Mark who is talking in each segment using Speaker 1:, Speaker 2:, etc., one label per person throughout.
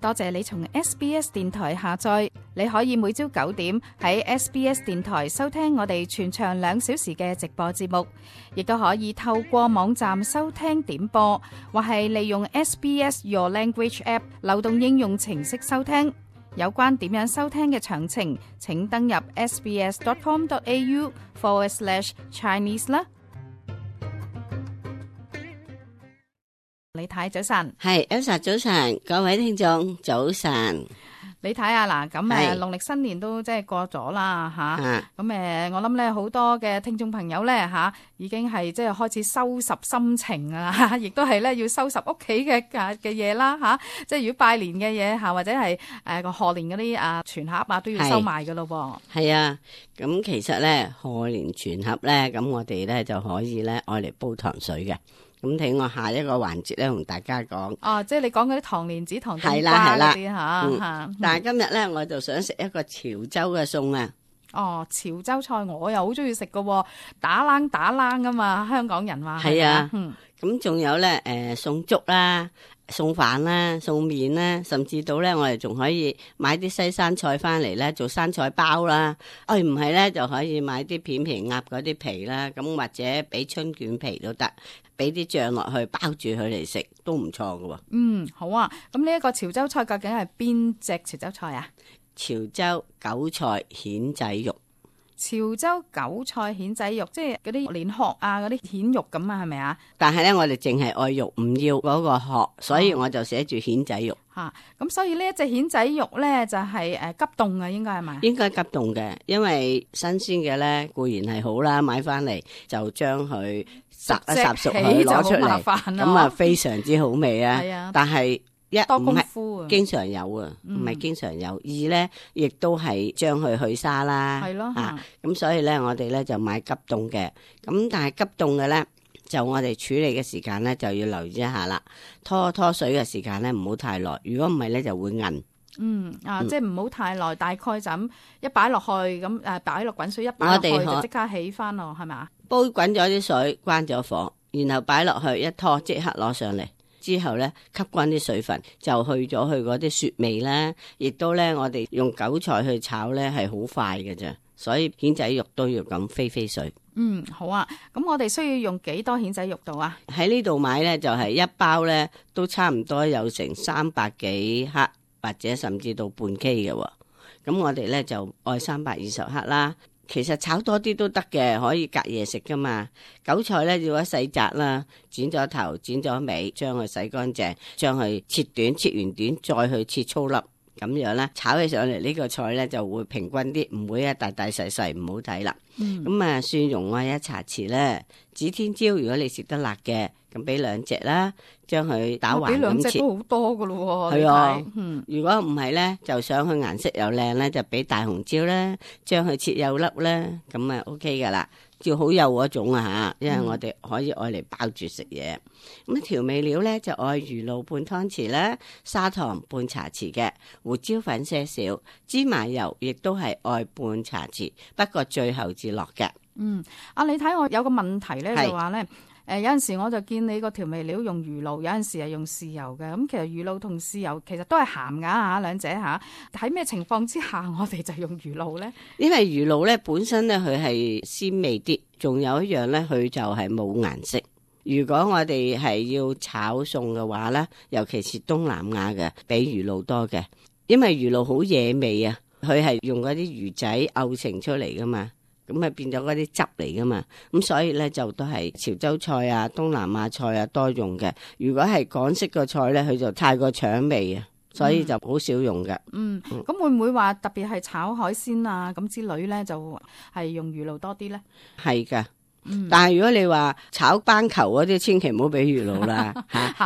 Speaker 1: 多謝你從 SBS 電台下載，你可以每朝9點喺 SBS 電台收聽我哋全長2小時嘅直播節目，亦都可以透過網站收聽點播，或係利用 SBS Your Language App 流動應用程式收聽。有關點樣收聽嘅詳情，請登入 sbs.com.au/Chinese 啦。李太早晨，
Speaker 2: 係 Elsa 早晨，各位聽眾早晨。
Speaker 1: 你睇下嗱，咁農曆新年都即係過咗啦吓，咁我諗咧好多嘅聽眾朋友咧吓，已經係即係開始收拾心情啊，亦都係咧要收拾屋企嘅嘢啦吓，即係如果拜年嘅嘢吓，或者係個賀年嗰啲全盒啊都要收埋噶咯噃。係
Speaker 2: 啊，咁其實咧賀年全盒咧，咁我哋咧就可以咧愛嚟煲糖水嘅。咁睇我下一個環節咧，同大家講。
Speaker 1: 哦，即係你講嗰啲糖蓮子、糖冬瓜嗰啲吓。
Speaker 2: 但係今日咧，我就想食一個潮州嘅餸啊。
Speaker 1: 哦，潮州菜我又好中意食噶，打冷啊嘛，香港人話
Speaker 2: 係啊。咁仲有咧，餸粥啦、餸飯啦、餸麵啦，甚至到咧，我哋仲可以買啲西生菜翻嚟咧，做生菜包啦。唔係咧，就可以買啲片皮鴨嗰啲皮啦，咁或者俾春卷皮都得。俾啲醬落去包住佢嚟食都唔錯㗎喎。
Speaker 1: 好啊。咁呢一個潮州菜究竟係邊隻潮州菜啊？
Speaker 2: 潮州韭菜蜆仔肉。
Speaker 1: 潮州韭菜蜆仔肉，即係嗰啲蓮殼啊，嗰啲蜆肉咁啊，係咪啊？
Speaker 2: 但係咧，我哋淨係愛肉，唔要嗰個殼，所以我就寫住蜆仔肉。
Speaker 1: 咁所以呢一隻蜆仔肉咧就係急凍嘅，應該係咪？應該
Speaker 2: 急凍嘅，因為新鮮嘅咧固然係好啦，買翻嚟就將佢烚一烚熟佢攞出嚟，咁啊非常之好味啊！但係
Speaker 1: 多功夫啊，
Speaker 2: 經常有啊，唔係經常有。二咧，亦都係將佢去沙啦，
Speaker 1: 係咯，
Speaker 2: 咁所以咧，我哋咧就買急凍嘅。咁但係急凍嘅咧，就我哋處理嘅時間咧就要留意一下啦。拖水嘅時間咧唔好太耐，如果唔係咧就會韌。
Speaker 1: 即係唔好太耐，大概就咁一擺落去咁擺落滾水一擺落去就即刻起翻咯，係咪啊？
Speaker 2: 煲滾咗啲水，關咗火，然後擺落去一拖，即刻攞上嚟。之後咧吸乾啲水分，就去咗佢嗰啲雪味啦。亦都咧，我哋用韭菜去炒咧係好快嘅啫，所以蜆仔肉都要咁飛水。
Speaker 1: 好啊。咁我哋需要用幾多蜆仔肉度啊？
Speaker 2: 喺呢度買咧就係一包咧都差唔多有成300幾克，或者甚至到半 K 嘅。咁我哋咧就愛320克啦。其實炒多啲都得嘅，可以隔夜食噶嘛。韭菜咧要一洗摘啦，剪咗頭剪咗尾，將佢洗乾淨，將佢切短，切完短再去切粗粒，咁樣咧炒起上嚟呢個菜咧就會平均啲，唔會一大大細細唔好睇啦。咁蒜蓉我1茶匙咧，指天椒如果你食得辣嘅，咁俾2隻啦，將佢打橫咁切。俾2隻都好多噶咯喎。係啊，如果唔係咧，就想佢顏色又靚咧，就俾大紅椒啦，將佢切幼粒啦，咁啊 OK 噶啦，要好幼嗰種啊吓，因為我哋可以愛嚟包住食嘢。咁調味料咧就愛魚露半湯匙啦，砂糖半茶匙嘅，胡椒粉些少，芝麻油亦都係愛半茶匙，不過最後至落嘅。你
Speaker 1: 睇我有個問題咧，就話咧。有陣時我就見你個調味料用魚露，有陣時係用豉油嘅。咁其實魚露同豉油其實都係鹹㗎嚇，兩者嚇。喺咩情況之下我哋就用魚露咧？因為魚露咧本身咧佢係鮮味啲，仲有一樣咧佢就係冇顏色。如果我哋係要炒餸嘅話咧，尤其是東南亞嘅，比魚露多嘅，因為魚露好惹味啊，佢係用嗰啲魚仔漚成出嚟噶嘛。咁啊變咗嗰啲汁嚟噶嘛，咁所以咧就都係潮州菜啊、東南亞菜啊多用嘅。如果係港式個菜咧，佢就太過搶味啊，所以就好少用嘅。咁會唔會話特別係炒海鮮啊咁之類咧，就係用魚露多啲咧？係噶。但係如果你話炒斑球嗰啲，千祈唔好俾魚露啦，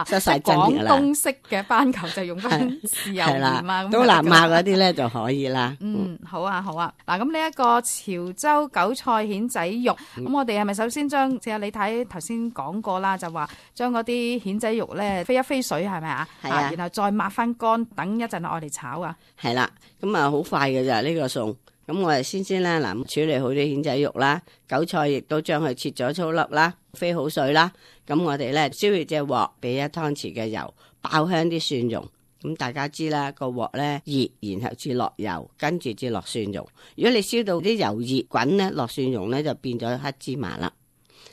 Speaker 1: 失晒真嘅啦。廣東式嘅斑球就用翻豉油鹽啊，東南亞嗰啲咧就可以啦。好啊。嗱，咁呢一個潮州韭菜蜆仔肉，咁我哋係咪首先將，似你睇頭先講過啦，就話將嗰啲蜆仔肉咧飛一飛水係咪啊？係啊，然後再抹翻乾，等一陣愛嚟炒啊。係啦，咁啊好快嘅咋呢個餸。咁我哋先啦，嗱，處理好啲蜆仔肉啦，韭菜亦都將佢切咗粗粒啦，飛好水啦。咁我哋咧燒熱隻鑊，俾1湯匙嘅油，爆香啲蒜蓉，
Speaker 2: 咁大家知啦，個鑊咧熱，然後至落油，跟住至落蒜蓉。如果你燒到啲油熱滾咧，落蒜蓉咧就變咗黑芝麻啦。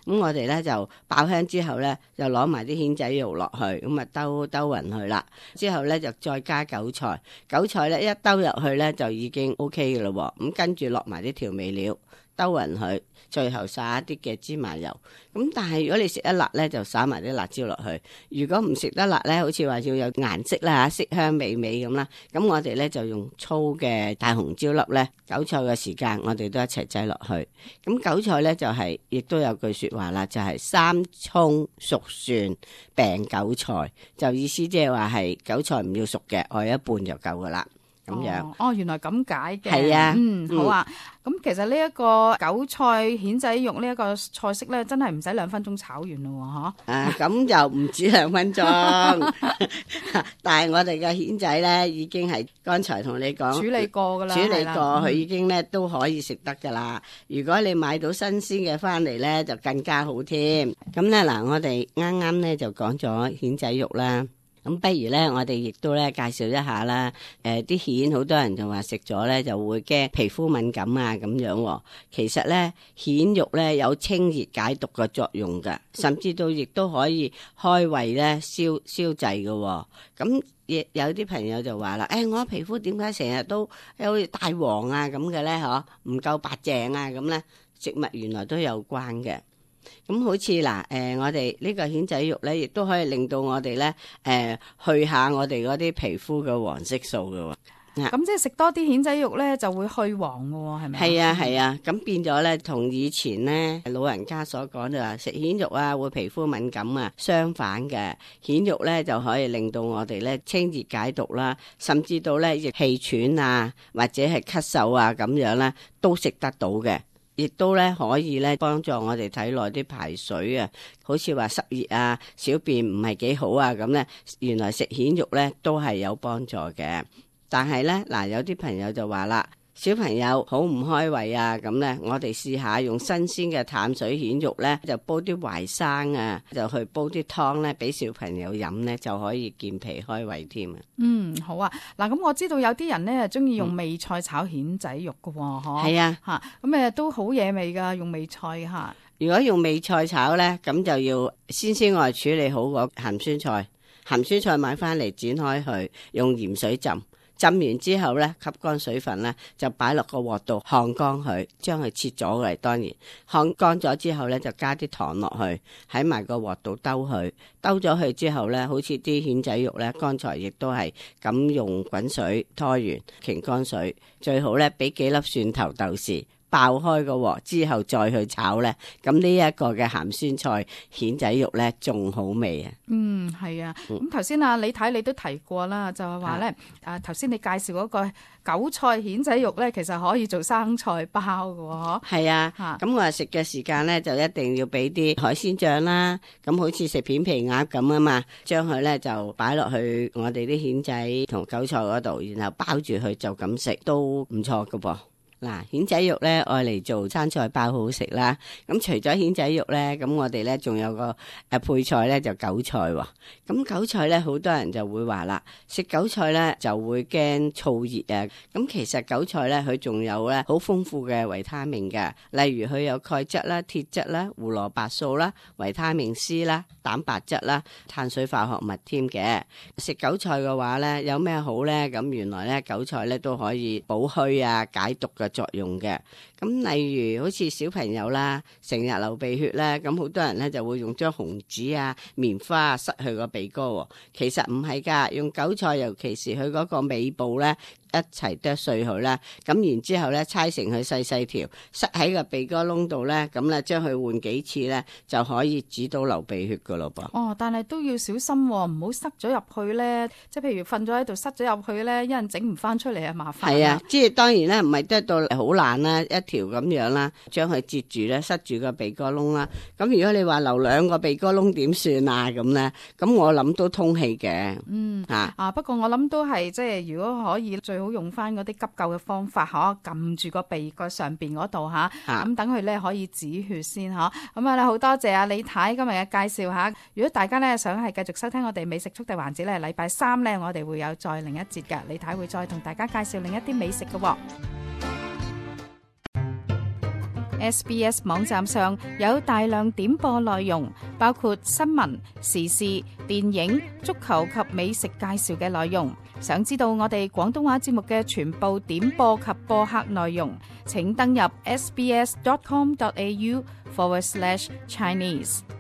Speaker 2: 咁我哋咧就爆香之後咧，就攞埋啲蜆仔肉落去，咁啊兜勻佢啦。之後咧就再加韭菜，韭菜咧一兜入去咧就已經 OK 嘅咯。咁跟住落埋啲調味料，兜勻佢，最後撒一啲嘅芝麻油。咁但係如果你食得辣咧，就撒埋啲辣椒落去。如果唔食得辣咧，好似話要有顏色啦，色香美美咁啦。咁我哋咧就用粗嘅大紅椒粒咧，韭菜嘅時間我哋都一齊擠落去。咁韭菜咧就係、亦都有句說話啦，就係、三葱熟蒜病韭菜，就意思即係話係韭菜唔要熟嘅，愛一半就夠噶啦。咁樣
Speaker 1: 哦，原來咁解嘅。
Speaker 2: 係啊，
Speaker 1: 好啊。咁其實呢一個韭菜蜆仔肉呢一個菜式咧，真係唔使2分鐘炒完咯，嗬。
Speaker 2: 咁就唔止2分鐘，但係我哋嘅蜆仔咧已經係剛才同你講
Speaker 1: 處理過噶啦，
Speaker 2: 處理過，佢已
Speaker 1: 嗯
Speaker 2: 經咧都可以食得噶啦。如果你買到新鮮嘅翻嚟咧，就更加好添。咁咧嗱，我哋啱啱咧就講咗蜆仔肉啦。咁不如咧，我哋亦都咧介紹一下啦。啲蜆好多人就話食咗咧就會驚皮膚敏感啊咁樣喎。其實咧蜆肉咧有清熱解毒嘅作用㗎，甚至到亦都可以開胃咧消滯嘅喎。咁亦有啲朋友就話啦，我皮膚點解成日都好似大黃啊咁嘅咧？嗬，唔夠白淨啊咁咧？食物原來都有關嘅。咁好似嗱，我哋呢個蜆仔肉咧，亦都可以令到我哋咧，去下我哋嗰啲皮膚嘅黃色素嘅喎。
Speaker 1: 咁即係食多啲蜆仔肉咧，就會去黃嘅喎，係咪？
Speaker 2: 係啊係啊，咁變咗咧，同以前咧老人家所講就話食蜆肉啊會皮膚敏感啊，相反嘅蜆肉咧就可以令到我哋咧清熱解毒啦，甚至到咧亦氣喘啊或者係咳嗽啊咁樣啦，都食得到嘅。亦都咧可以咧幫助我哋體內啲排水啊，好似話濕熱啊、小便唔係幾好啊咁咧，原來食蜆肉咧都係有幫助嘅。但係咧嗱，有啲朋友就話啦，小朋友好唔開胃啊，咁咧我哋試下用新鮮嘅淡水蜆肉咧，就煲啲淮生啊，就去煲啲湯咧，俾小朋友飲咧，就可以健脾開胃添啊。
Speaker 1: 好啊。嗱，咁我知道有啲人咧中意用味菜炒蜆仔肉㗎喎，嗬。
Speaker 2: 係啊，
Speaker 1: 咁都好惹味㗎，用味菜嚇。
Speaker 2: 如果用味菜炒咧，咁就要先我哋處理好個鹹酸菜。鹹酸菜買翻嚟剪開佢，用鹽水浸。浸完之後咧，吸乾水分咧，就擺落個鑊度烘乾佢，將佢切咗嚟。當然烘乾咗之後咧，就加啲糖落去，喺埋個鑊度兜佢，兜咗佢之後咧，好似啲蜆仔肉咧，剛才亦都係咁用滾水拖完，擎乾水，最好咧俾幾粒蒜頭豆豉。爆開個鑊之後再去炒咧，咁呢一個嘅鹹酸菜蜆仔肉咧仲好味啊！
Speaker 1: 係啊。咁頭先李太你都提過啦，就係話咧，頭先你介紹嗰個韭菜蜆仔肉咧，其實可以做生菜包㗎喎，嗬。係
Speaker 2: 啊，咁我食嘅時間咧就一定要俾啲海鮮醬啦。咁好似食片皮鴨咁啊嘛，將佢咧就擺落去我哋啲蜆仔同韭菜嗰度，然後包住佢就咁食都唔錯㗎噃。嗱，蜆仔肉咧愛嚟做生菜包好食啦。咁除咗蜆仔肉咧，咁我哋咧仲有個配菜咧就韭菜喎。咁韭菜咧好多人就會話啦，食韭菜咧就會驚燥熱啊。咁其實韭菜咧佢仲有咧好豐富嘅維他命嘅，例如佢有鈣質啦、鐵質啦、胡蘿蔔素啦、維他命 C 啦、蛋白質啦、碳水化合物添嘅。食韭菜嘅話咧有咩好咧？咁原來咧韭菜咧都可以補虛啊、解毒嘅作用嘅。咁例如好似小朋友啦，成日流鼻血咧，咁好多人咧就會用張紅紙啊、棉花啊塞去個鼻哥喎。其實唔係噶，用韭菜尤其是佢嗰個尾部咧，一齊剁碎佢啦，咁然之後咧，搓成佢細細條，塞喺個鼻哥窿度咧，咁咧將佢換幾次咧，就可以止到流鼻血噶咯噃。
Speaker 1: 但係都要小心，唔好塞咗入去咧。即係譬如瞓咗喺度塞咗入去咧，一陣整唔翻出嚟啊，麻煩。
Speaker 2: 係啊，即係當然咧，唔係得到好爛啦，一條咁樣啦，將佢截住咧，塞住個鼻哥窿啦。咁如果你話留2個鼻哥窿點算啊？咁咧，咁我諗都通氣嘅。
Speaker 1: 不過我諗都係即係如果可以，最好用翻嗰啲急救嘅方法，撳住個鼻個上邊嗰度咁等佢咧可以止血先咁啊，好多謝李太今日嘅介紹吓。如果大家咧想係繼續收聽我哋美食速遞環節咧，禮拜3咧我哋會有再另一節嘅，李太會再同大家介紹另一啲美食嘅。SBS 網站上有大量點播內容，包括新聞、時事、電影、足球及美食介紹嘅內容。想知道我哋廣東話節目嘅全部點播及播客內容，請登入sbs.com.au/Chinese。